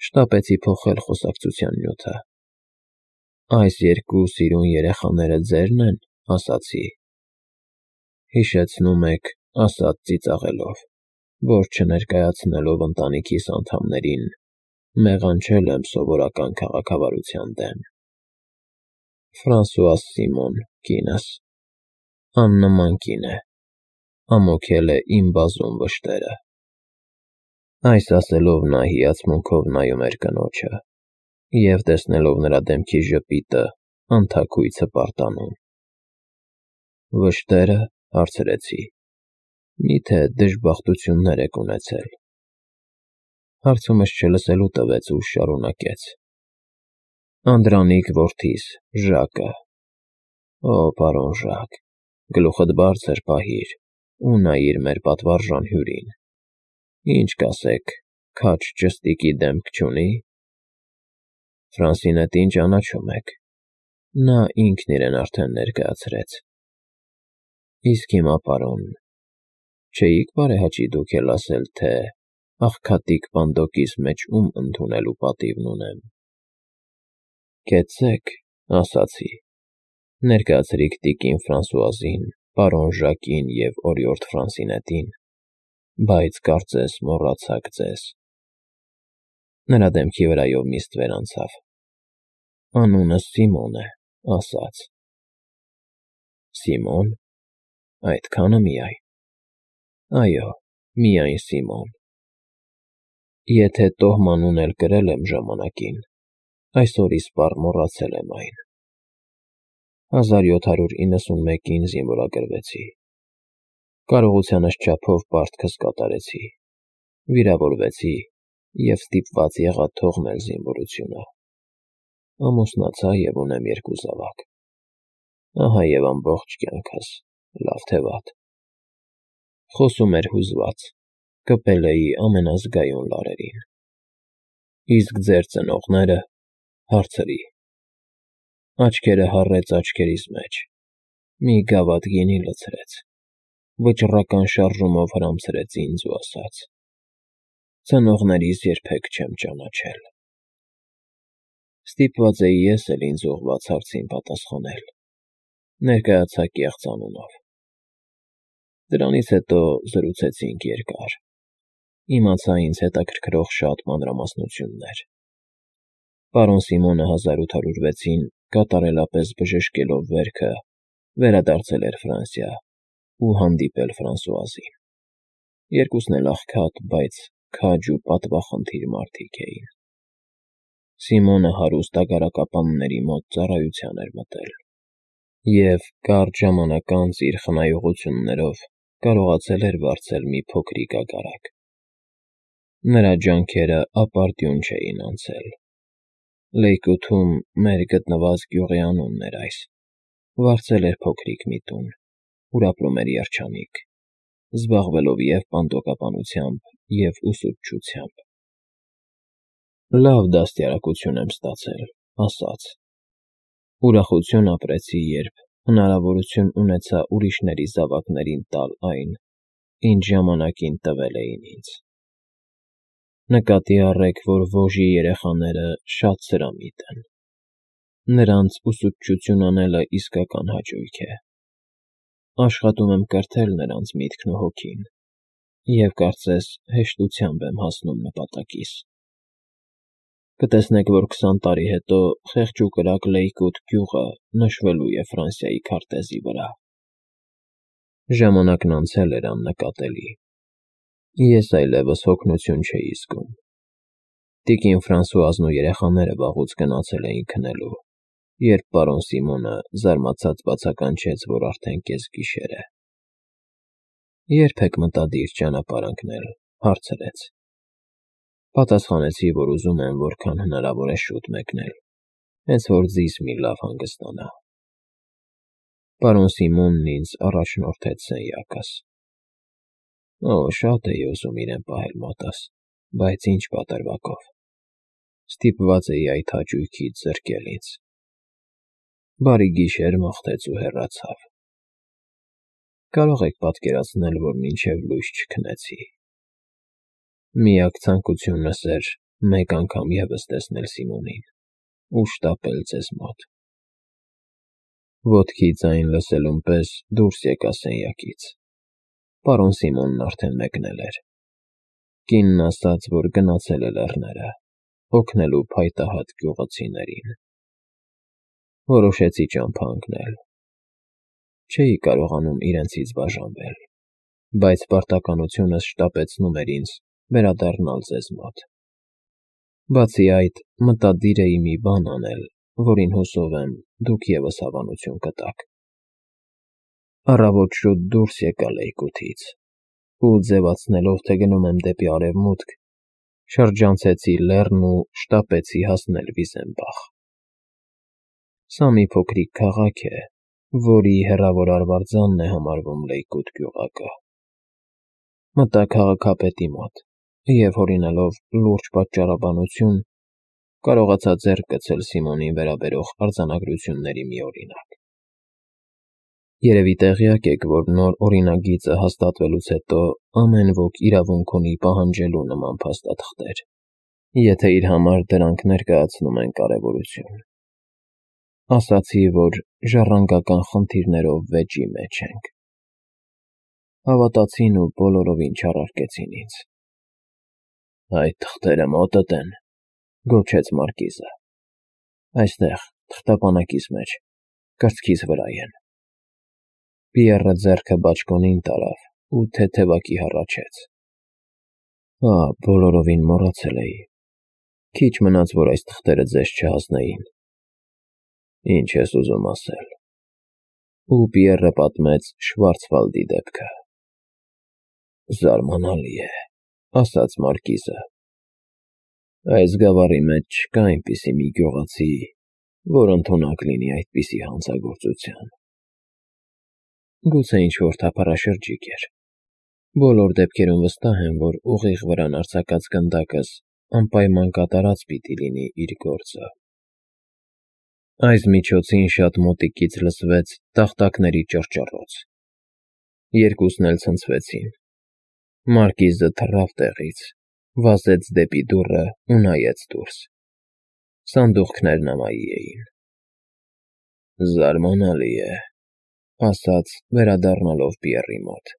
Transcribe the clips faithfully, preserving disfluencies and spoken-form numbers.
Շտապեցի փոխել խոսակցության նյութը։ Այս երկու սիրուն երեխաները ձե՞րն են, ասացի։ Հիշեցնում եք, ասաց ծիծաղելով, որ չներկայացնելով ընտանիքիս անդամներին, մեղանչել եմ սովորական քաղաքավարության դեմ։ Ֆրանսուազ Սիմոն, կինս, աննման կին է, ամոքել է իմ բազում վշտերը։ Այս ասելով նա հիացմունքով նայում էր կնոջը, և տեսնելով նրա դեմքի ժպիտը, անթաքույց հպարտանում։ Վշտե՞րը, հարցրեցի, մի՞թե դժբախտություններ եք ունեցել։ Հարցումս չլսելու տվեց ու շարունակեց. Անդրանիկ որդիս, Ժակը։ Օ, պարոն Ժակ, գլուխդ բարձր պահիր ու նայիր մեր պատվարժան հյուրին։ Ինչ կասեք, քաջ ճստիկի դեմք չունի՞։ Ֆրանսինետին ճանաչում եք, նա ինքն իրեն արդեն ներկայացրեց։ Իսկ հիմա, պարոն, չէի՞ք բարեհաճի դուք էլ ասել, թե աղքատիկ պանդոկիս մեջ ում ընդունելու պատիվն ունեմ։ Կեցցեք, ասացի, ներկայացրիք տիկին Ֆրանսուազին, պարոն Ժակին և օրիորդ Ֆրանսինետին, բայց կարծես մոռացաք ձեզ։ Նրա դեմքի վրայով մի ստվեր անցավ։ Անունս Սիմոն է, ասաց։ Սիմոն, այդքա՞նը միայն։ Այո, միայն Սիմոն։ Եթե տոհմանուն էլ կրել եմ ժամանակին, այսօր իսպառ մոռացել եմ այն։ հազար յոթ հարյուր իննսունմեկին զինվորագրվեցի։ Կարողությանս չափով պարտքս կատարեցի, վիրավորվեցի և ստիպված եղա թողնել զինվորությունը։ Ամուսնացա և ունեմ երկու զավակ։ Ահա և ամբողջ կյանքս, լավ թե վատ։ Խոսում էր հուզված, կպել էի ամենազգայուն լարերին։ Իսկ ձեր ծնողնե՞րը, հարցրի։ Աչքերը հառեց աչքերիս մեջ, մի գավաթ գինի լցրեց, վճռական շարժումով հրամցրեց ինձ ու ասաց. Ծնողներիս երբեք չեմ ճանաչել։ Ստիպված էի ես էլ ինձ ուղղված հարցին պատասխանել, ներկայացա կեղծ անունով։ Դրանից հետո զրուցեցինք երկար, իմացա ինձ հետաքրքրող շատ մանրամասնություններ։ Պարոն Սիմոնը հազար ութ հարյուր վեցին կատարելապես բժշկելով վերքը, վերադարձել էր Ֆրանսիա ու հանդիպել Ֆրանսուազին։ Երկուսն էլ աղքատ, բայց քաջ ու պատվախնդիր մարդիկ էին։ Սիմոնը հարուստ ագարակապանների մոտ ծառայության էր մտել և կարճ ժամանակ անց իր խնայողություններով կարողացել էր վարձել մի փոքրիկ ագարակ։ Նրա ջանքերը ապարդյուն չէին անցել։ Լեյկոթում մեր գտնված գյուղի անունն էր այս, վարձել էր փոքրիկ մի տուն, ուր ապրում էր երջանիկ, զբաղվելով և պանդոկապանությամբ, և ուսուցչությամբ։ Լավ դաստիարակություն եմ ստացել, ասաց։ Ուրախություն ապրեցի, երբ հնարավորություն ունեցա ուրիշների զավակներին տալ այն, ինչ ժամանակին տվել էին ինձ։ Նկատի առեք, որ Վոժի երեխաները շատ սրամիտ են։ Նրանց ուսուցչություն անելը իսկական հաճույք է։ Աշխատում եմ կրթել նրանց միտքն ու հոգին, և կարծես հեշտությամբ եմ հասնում նպատակիս։ Կտեսնեք, որ քսան տարի հետո խեղճ ու կրակ Լեյկոթ գյուղը նշվելու է Ֆրանսիայի քարտեզի վրա։ Ժամանակն անցել էր աննկատելի։ Ես այլևս հոգնություն չէի զգում։ Տիկին Ֆրանսուազն ու երեխաները վաղուց գնացել էին քնելու, երբ պարոն Սիմոնը զարմացած բացականչեց, որ արդեն կեսգիշեր է։ Ե՞րբ եք մտադիր ճանապարհ ընկնել, հարցրեց։ Պատասխանեցի, որ ուզում եմ որքան հնարավոր է շուտ մեկնել, հենց որ ձիզ մի լավ հանգստանա։ Պարոն Սիմոնն ինձ առաջնորդեց սենյակս։ Օ, շատ էի ուզում իրեն պահել մոտս, բայց ինչ պատրվակով։ Ստիպված էի այդ հաճույքից զրկել ինձ։ Բարի գիշեր մաղթեց ու հեռացավ։ Կարող եք պատկերացնել, որ մինչև լույս չքնեցի։ Միակ ցանկությունս էր մեկ անգամ ևս տեսնել Սիմոնին ու շտապել ձեզ մոտ։ Ոտքի ձայն լսելուն պես դուրս եկա սենյակից։ Պարոն Սիմոնն արդեն մեկնել էր։ Կինն ասաց, որ գնացել է լեռները, օգնելու փայտահատ գյուղացիներին։ Որոշեցի ճամփա ընկնել։ Չէի կարողանում իրենցից բաժանվել, բայց պարտականությունս շտապեցնում էր ինձ վերադառնալ ձեզ մոտ։ Բացի այդ, մտադիր էի մի բան անել, որին հուսով եմ դուք ևս հավանություն կտաք։ Առավոտ շուտ դուրս եկա լեյկութից ու, ձևացնելով, թե գնում եմ դեպի արևմուտք, շրջանցեցի լեռն ու շտապեցի հասնել Վիզենբախ։ Սա մի փոքրիկ քաղաք է, որի հեռավոր արվարձանն է համարվում Լեյկութ գյուղակը։ Մտա քաղաքապետի մոտ և, հորինելով լուրջ պատճառաբանություն, կարողացա ձեռք գցել Սիմոնին վերաբերող արձանագրությունների մի օրինակ։ Երևի տեղյակ եք, որ նոր օրինագիծը հաստատվելուց հետո ամեն ոք իրավունք ունի պահանջելու նման փաստաթղթեր, եթե իր համար դրանք ներկայացնում են կարևորություն։ Ասացի, որ ժառանգական խնդիրներով վեճի մեջ ենք։ Հավատացին ու բոլորովին չառարկեցին ինձ։ Այդ թղթերը մոտդ են, գոչեց Մարկիզը։ Այստեղ, թղթապանակիս մեջ, կրծքիս վրա են։ Պիեռը ձեռքը բաճկոնին տարավ ու թեթևակի հառաչեց։ Ա, բոլորովին մոռացել էի։ Քիչ մնաց, որ այս թղթերը ձեզ չհասնեին։ Ինչ ես ուզում ասել։ Ու Պիեռը պատմեց Շվարցվալդի դեպքը։ Զարմանալի է, ասաց Մարկիզը։ Այս գավառի մեջ չկա այնպիսի մի գյուղացի, որ ընդունակ լինի այդպիսի հանցագործության։ Գուցե ինչ-որ թափառաշրջիկ էր։ Բոլոր դեպքերում վստահ եմ, որ ուղիղ վրան արձակած գնդակս անպայման կատարած պիտի լինի իր գործը։ Այս միջոցին շատ մոտիկից լսվեց տախտակների ճռճռոց։ Երկուսն էլ ցնցվեցին։ Մարկիզը թռավ տեղից, վազեց դեպի դուռը ու նայեց դուրս։ Սանդուղքներն ամայի էին։ Զարմանալի է, ասաց, վերադառնալով Պիեռի մոտ։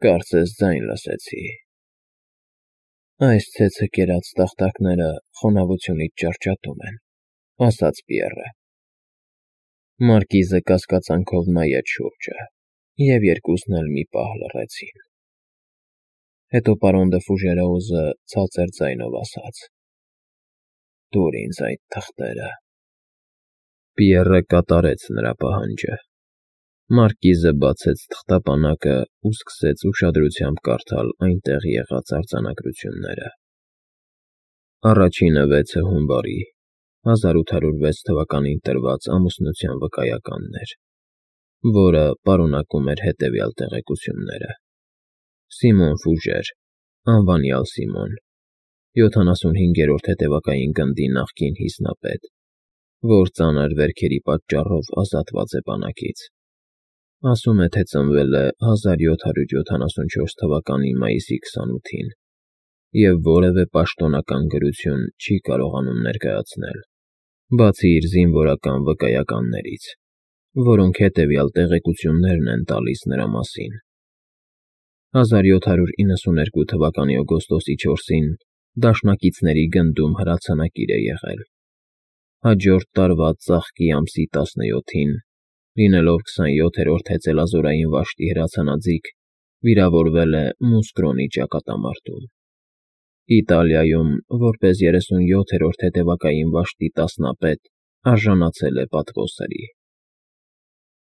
Կարծես ձայն լսեցի։ Այս ցեցը կերած տախտակները խոնավությունից ճարճատում են, ասաց Պիեռը։ Մարկիզը կասկածանքով նայեց շուրջը, և երկուսն էլ մի պահ լռեցին։ Հետո պարոն Դը Ֆուժերոուզը ցածր ձայնով ասաց. Տուր ինձ այդ թղթերը։ Պիեռը կատարեց նրա պահանջը։ Մարկիզը բացեց թղթապանակը ու սկսեց ուշադրությամբ կարդալ այնտեղ եղած արձանագրությունները։ Առաջինը վեցը հունվարի հազար ութ հարյուր վեց թվականին տրված ամուսնության վկայականն էր, որը պարունակում էր հետևյալ տեղեկությունները. Սիմոն Ֆուժեր, անվանյալ Սիմոն, յոթանասունհինգերորդ հետևակային գնդի նախկին հիմնապետ, որ ծանր վերքերի պատճառով ազատված է բանակից։ Ասում է, թե ծնվել է հազար յոթ հարյուր յոթանասունչորս թվականի մայիսի քսանութին և որևէ պաշտոնական գրություն չի կարողանում ներկայացնել, բացի իր զինվորական վկայականներից, որոնք հետևյալ տեղեկություններն են տալիս նրա մասին. հազար յոթ հարյուր իննսուներկու թվականի օգոստոսի չորսին դաշնակիցների գնդում հրացանակիր է եղել։ Հաջորդ տարվա ծաղկի ամսի տասնյոթին, լինելով քսանյոթերորդ հեծելազորային վաշտի հրացանաձիգ, վիրավորվել է Մուսկրոնի ճակատամարտում։ Իտալիայում, որպես երեսունյոթերորդ հետևակային վաշտի տասնապետ, արժանացել է պատվոսրի։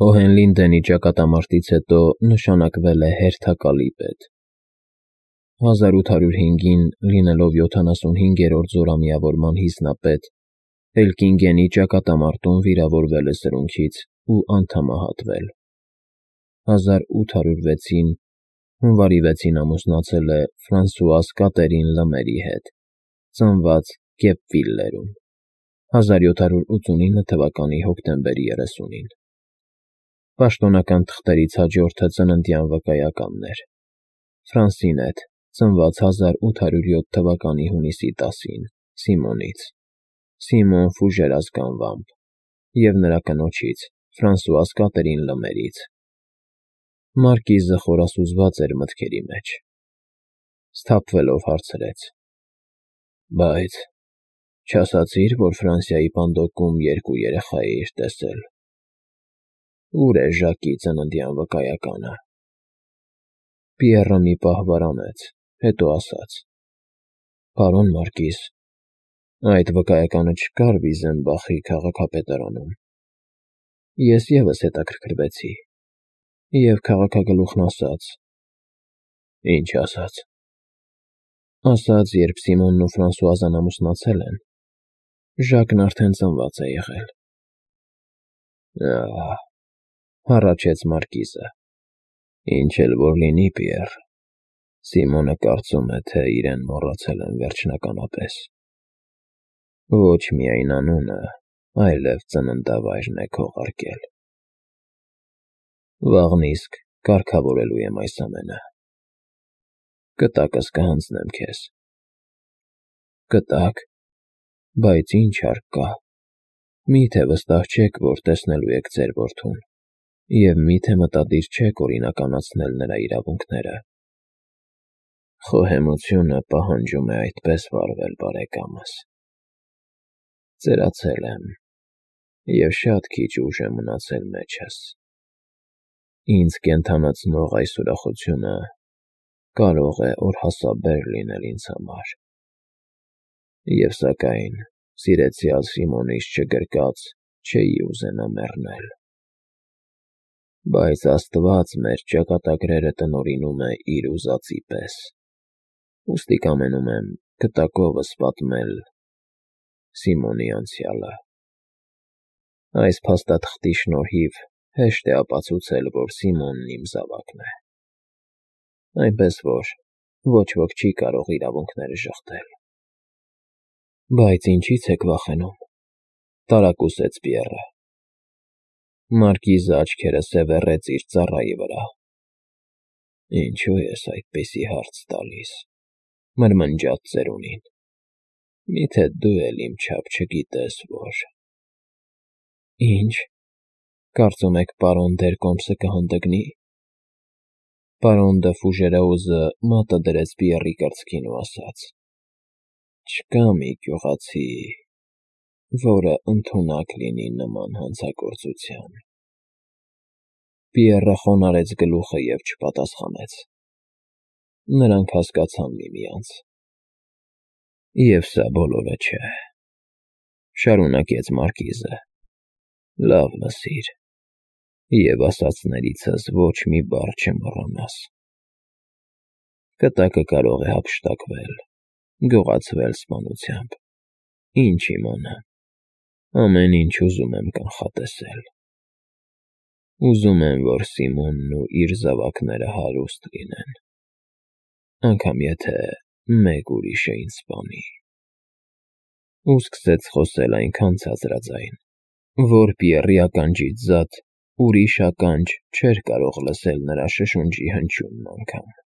Հոհենլինդենի ճակատամարտից հետո նշանակվել է հերթակալի պետ։ հազար ութ հարյուր հինգին, լինելով յոթանասունհինգերորդ զորամիավորման հիմնապետ, Էլկինգենի ճակատամարտում վիրավորվել է սրունքից ու անդամահատվել։ հազար ութ հարյուր վեցին, հունվարի վեցին ամուսնացել է Ֆրանսուազ Կատերին Լմերի հետ, ծնված Կեպվիլլերում, հազար յոթ հարյուր ութսունինը թվականի հոկտեմբերի երեսունին։ Պաշտոնական թղթերից հաջորդը ծննդյան վկայականն էր. Ֆրանսինետ, ծնված հազար ութ հարյուր յոթ թվականի հունիսի տասին, Սիմոնից, Սիմոն Ֆուժեր ազգանվամբ, և նրա կնոջից, Ֆրանսուազ Կատերին Լմերից։ Մարկիզը խորասուզված էր մտքերի մեջ, սթափվելով հարցրեց. Բայց չասացի՞ր, որ Ֆրանսիայի Պանդոկում երկու երեխա էիր տեսել։ Ո՞ւր է Ժակի ծննդյան վկայականը։ Պիեռը մի պահ վարանեց, հետո ասաց. Պարոն Մարկիզ, այդ վկայականը չկար Վիզենբախի քաղաքապետարանում։ Ես ևս հետաքրքրվեցի, և քաղաքագլուխն ասաց։ Ինչ ասաց։ Ասաց, երբ Սիմոնն ու Ֆրանսուազան ամուսնացել են, Ժակն արդեն ծնված է եղել։ Ահ, հառաչեց Մարկիզը, ինչ էլ որ լինի, Պիեռ, Սիմոնը կարծում է, թե իրեն մոռացել են վերջնականապես։ Ոչ միայն անունը, այլև ծննդավայրն է քողարկել։ Վաղն իսկ կարգավորելու եմ այս ամենը։ Կտակս կհանձնեմ քեզ։ Կտակ, բայց ինչ հարկ կա։ Մի՞թե վստահ չեք, որ տեսնելու եք ձեր որդուն, և մի՞թե մտադիր չեք օրինականացնել նրա իրավունքները։ Խոհեմությունը պահանջում է այդպես վարվել, բարեկամս։ Ծերացել եմ, և շատ քիչ ուժ է մնացել մեջս։ Ինձ կենդանացնող այս ուրախությունը կարող է օրհասաբեր լինել ինձ համար։ Եվ սակայն, սիրեցյալ Սիմոնից չգրկած, չէի ուզենա մեռնել։ Բայց Աստված մեր ճակատագրերը տնօրինում է իր ուզածի պես, ուստի կամենում եմ գտակովս պատմել Սիմոնի անցյալը։ Այս փաստաթղթի շնորհիվ հեշտ է ապացուցել, որ Սիմոնն իմ զավակն է։ Այնպես որ ոչ ոք չի կարող իրավունքները ժխտել։ Բայց ինչի՞ց եք վախենում, տարակուսեց Պիեռը։ Մարկիզը աչքերը սևեռեց իր ծառայի վրա։ Ինչո՞ւ ես այդպիսի հարց տալիս, մրմնջաց ծերունին։ Մի՞թե դու էլ իմ չափ չգիտես, որ… Ինչ, կարծում եք պարոն Դերկոմսը կհանդգնի։ Պարոն դը Ֆուժերաուզը մատը դրեց Պիեռի կրծքին ու ասաց. Չկա մի գյուղացի, որը ընդունակ լինի նման հանցագործության։ Պիեռը խոնարհեց գլուխը և չպատասխանեց։ Նրանք հասկացան միմյանց։ Եվ սա բոլորը չէ, շարունակեց Մարկիզը, լավ լսիր, և ասածներիցս ոչ մի բառ չմոռանաս։ Կտակը կարող է հափշտակվել, գողացվել սպանությամբ, ինչ իմանամ, ամեն ինչ ուզում եմ կանխատեսել։ Ուզում եմ, որ Սիմոնն ու իր զավակները հարուստ լինեն, անգամ եթե մեկ ուրիշը ինձ սպանի։ Ու սկսեց խոսել այնքան ցածրաձայն, որ Պիեռի ականջից զատ ուրիշ ականջ չէր կարող լսել նրա շշունջի հնչյունն անգամ։